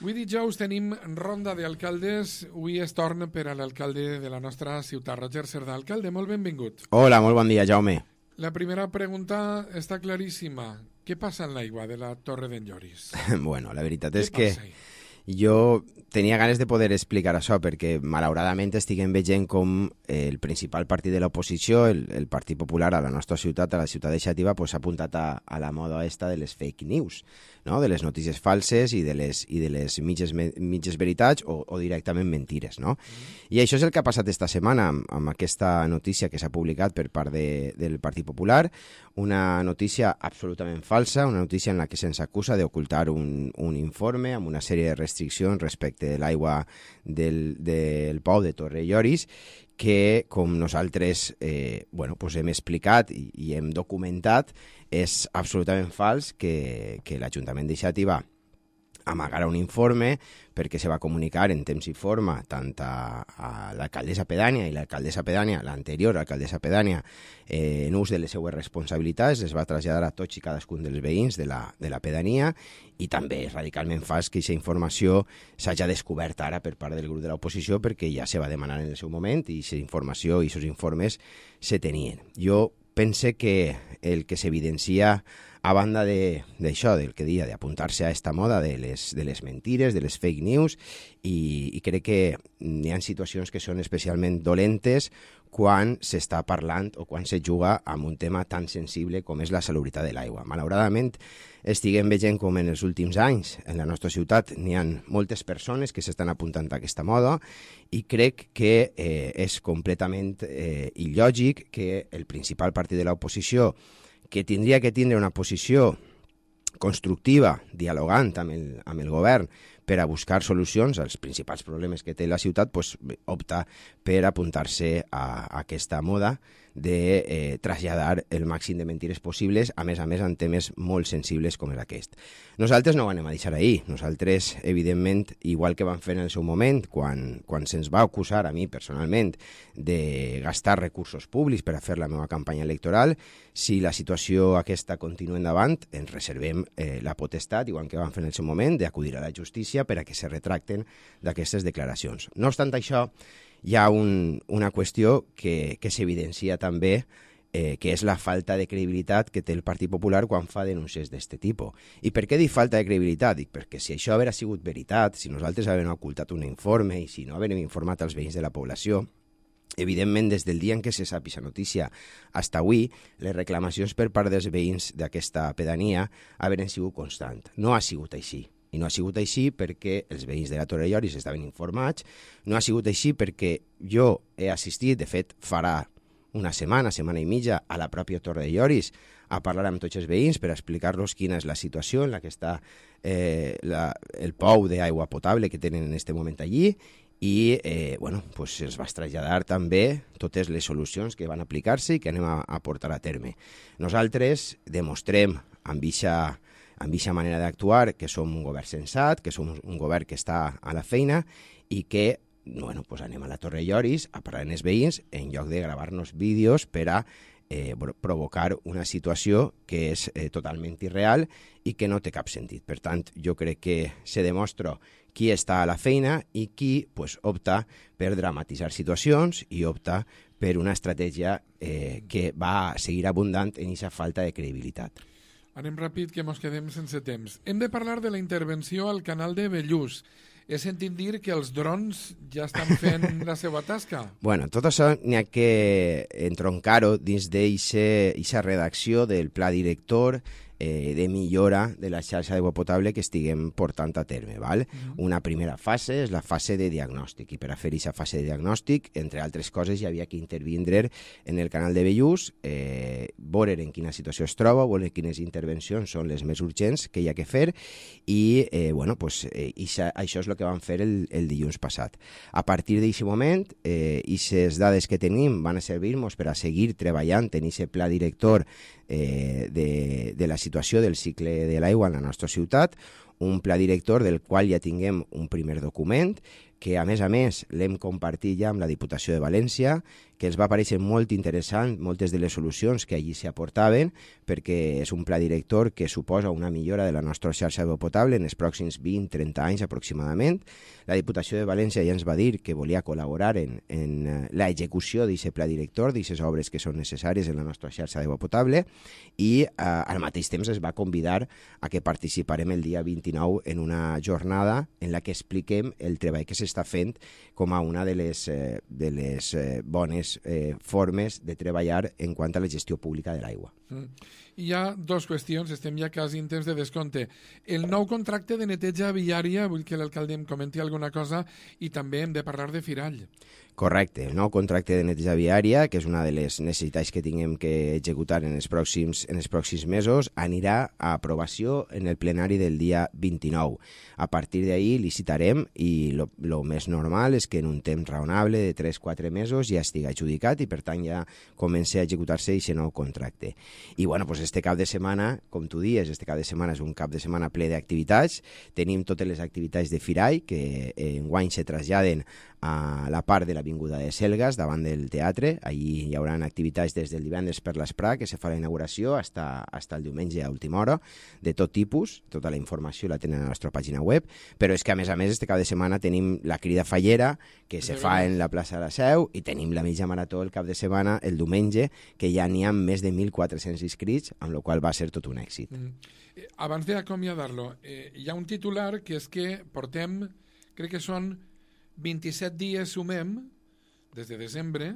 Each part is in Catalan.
Avui dijous tenim ronda d'alcaldes. Avui es torna per a l'alcalde de la nostra ciutat, Roger Cerdà. Alcalde, molt benvingut. Hola, molt bon dia, Jaume. La primera pregunta està claríssima. Què passa en l'aigua de la Torre d'en Lloris? Bueno, la veritat és que jo tenia ganes de poder explicar això perquè malauradament estiguem veient com el principal partit de l'oposició, el Partit Popular a la nostra ciutat, a la ciutat de Xàtiva, s'ha apuntat a la moda esta de les fake news, no? De les notícies falses i de les mitges veritats o directament mentires, no? I això és el que ha passat esta setmana amb aquesta notícia que s'ha publicat per part del Partit Popular, una notícia absolutament falsa, una notícia en la que se'ns acusa d'ocultar un informe amb una sèrie de restriccions respecte de l'aigua del pou de Torre Lloris, que, com nosaltres hem explicat i hem documentat, és absolutament fals que l'Ajuntament de Xàtiva amagara un informe perquè se va comunicar en temps i forma tant a l'alcaldessa pedània i l'alcaldessa pedània, l'anterior alcaldessa pedània, en ús de les seues responsabilitats, es va traslladar a tots i cadascun dels veïns de la pedania, i també és radicalment fals que aquesta informació s'hagi descobert ara per part del grup de l'oposició perquè ja se va demanar en el seu moment i aquesta informació i aquests informes se tenien. Jo pense que el que s'evidencia a banda d'això, del que dia, d'apuntar-se a esta moda de les mentires, de les fake news, i crec que hi ha situacions que són especialment dolentes quan s'està parlant o quan se juga amb un tema tan sensible com és la salubritat de l'aigua. Malauradament, estiguem veient com en els últims anys en la nostra ciutat n'hi ha moltes persones que s'estan apuntant a aquesta moda i crec que és completament il·lògic que el principal partit de l'oposició, que tindria que tindre una posició constructiva, dialogant amb el govern per a buscar solucions als principals problemes que té la ciutat, opta per apuntar-se a aquesta moda de traslladar el màxim de mentires possibles, a més en temes molt sensibles com és aquest. Nosaltres no ho anem a deixar ahir. Nosaltres, evidentment, igual que vam fer en el seu moment, quan se'ns va acusar a mi personalment de gastar recursos públics per a fer la meva campanya electoral, si la situació aquesta continua endavant, ens reservem la potestat, igual que vam fer en el seu moment, d'acudir a la justícia per a que se retracten d'aquestes declaracions. No obstant això, hi ha una qüestió que s'evidencia també, que és la falta de credibilitat que té el Partit Popular quan fa denúncies d'aquest tipus. I per què dic falta de credibilitat? Dic perquè si això haguera sigut veritat, si nosaltres haguem ocultat un informe i si no haguem informat als veïns de la població, evidentment, des del dia en què se sap aquesta notícia fins avui, les reclamacions per part dels veïns d'aquesta pedania hagueren sigut constants. No ha sigut així. I no ha sigut així perquè els veïns de la Torre Lloris estaven informats, no ha sigut així perquè jo he assistit, de fet farà una setmana i mitja, a la pròpia Torre Lloris a parlar amb tots els veïns per explicar-los quina és la situació en la que està el pou d'aigua potable que tenen en aquest moment allí, i se'ls va traslladar també totes les solucions que van aplicar-se i que anem a portar a terme. Nosaltres demostrem amb aquesta manera d'actuar que som un govern sensat, que som un govern que està a la feina i que anem a la Torre Lloris a parlar amb els veïns en lloc de gravar-nos vídeos per a provocar una situació que és totalment irreal i que no té cap sentit. Per tant, jo crec que se demostra qui està a la feina i qui opta per dramatitzar situacions i opta per una estratègia que va seguir abundant en aquesta falta de credibilitat. Anem ràpid, que mos quedem sense temps. Hem de parlar de la intervenció al canal de Bellús. He sentit dir que els drons ja estan fent la seva tasca. Bueno, tot això n'hi ha que entroncar-ho dins d'aquesta redacció del pla director de millora de la xarxa d'aigua potable que estiguem portant a terme. Val? Una primera fase és la fase de diagnòstic, i per a fer aquesta fase de diagnòstic, entre altres coses, hi havia que intervindre en el canal de Bellús, veure en quina situació es troba, veure quines intervencions són les més urgents que hi ha que fer, i això és el que vam fer el dilluns passat. A partir d'aquest moment, aquestes dades que tenim van a servir-nos per a seguir treballant en aquest pla director de la situació del cicle de l'aigua en la nostra ciutat, un pla director del qual ja tinguem un primer document que a més l'hem compartit ja amb la Diputació de València, que els va parèixer molt interessant moltes de les solucions que allí s'hi aportaven, perquè és un pla director que suposa una millora de la nostra xarxa d'aigua potable en els pròxims 20-30 anys aproximadament. La Diputació de València ja ens va dir que volia col·laborar en l'execució d'aquest pla director, d'aquestes obres que són necessàries en la nostra xarxa d'aigua potable, i al mateix temps es va convidar a que participarem el dia 29 en una jornada en la que expliquem el treball que s'està fent com a una de les bones formes de treballar en quant a la gestió pública de l'aigua. Hi ha dues qüestions, estem ja quasi en temps de descompte. El nou contracte de neteja viària, vull que l'alcalde em comenti alguna cosa, i també hem de parlar de Firall. Correcte, el nou contracte de neteja viària, que és una de les necessitats que tinguem que executar en els pròxims mesos, anirà a aprovació en el plenari del dia 29. A partir d'ahir licitarem i el més normal és que en un temps raonable de 3-4 mesos ja estigui adjudicat i per tant ja comenci a executar-se aquest nou contracte. I bueno, pues este cap de setmana, com tu dius, este cap de setmana és un cap de setmana ple d'activitats. Tenim totes les activitats de Firall que enguany se traslladen a la part de l'Avinguda de Selgas, davant del teatre. Allí hi haurà activitats des del divendres per l'Esprà, que se fa la inauguració, fins el diumenge a última hora, de tot tipus. Tota la informació la tenen a la nostra pàgina web, però és que a més, este cap de setmana tenim la crida fallera, que se fa en la plaça de la Seu, i tenim la mitja marató el cap de setmana, el diumenge, que ja n'hi ha més de 1.400 inscrits, amb la qual va ser tot un èxit. Abans d'acomiadar-lo, hi ha un titular que és que portem, crec que són 27 dies sumem, des de desembre,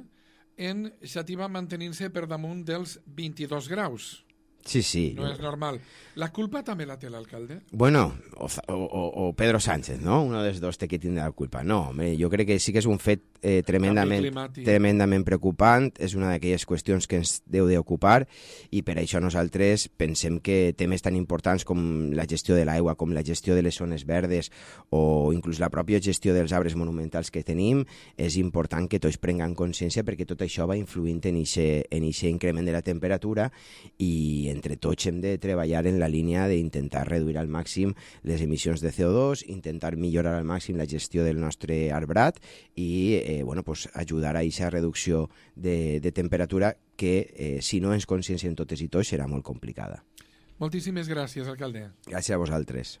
en xativa mantenint-se per damunt dels 22 graus. Sí. No és normal. La culpa també la té l'alcalde? Bueno, o Pedro Sánchez, ¿no? Uno dels dos té que tindre la culpa. No, hombre, jo crec que sí que és un fet tremendament preocupant, és una d'aquelles qüestions que ens deu d'ocupar i per això nosaltres pensem que temes tan importants com la gestió de l'aigua, com la gestió de les zones verdes o inclús la pròpia gestió dels arbres monumentals que tenim, és important que tots prenguem consciència perquè tot això va influint en aquest increment de la temperatura i entre tots hem de treballar en la línia d'intentar reduir al màxim les emissions de CO2, intentar millorar al màxim la gestió del nostre arbrat i ajudar a aquesta reducció de temperatura que, si no ens conscienciem totes i tots, serà molt complicada. Moltíssimes gràcies, alcalde. Gràcies a vosaltres.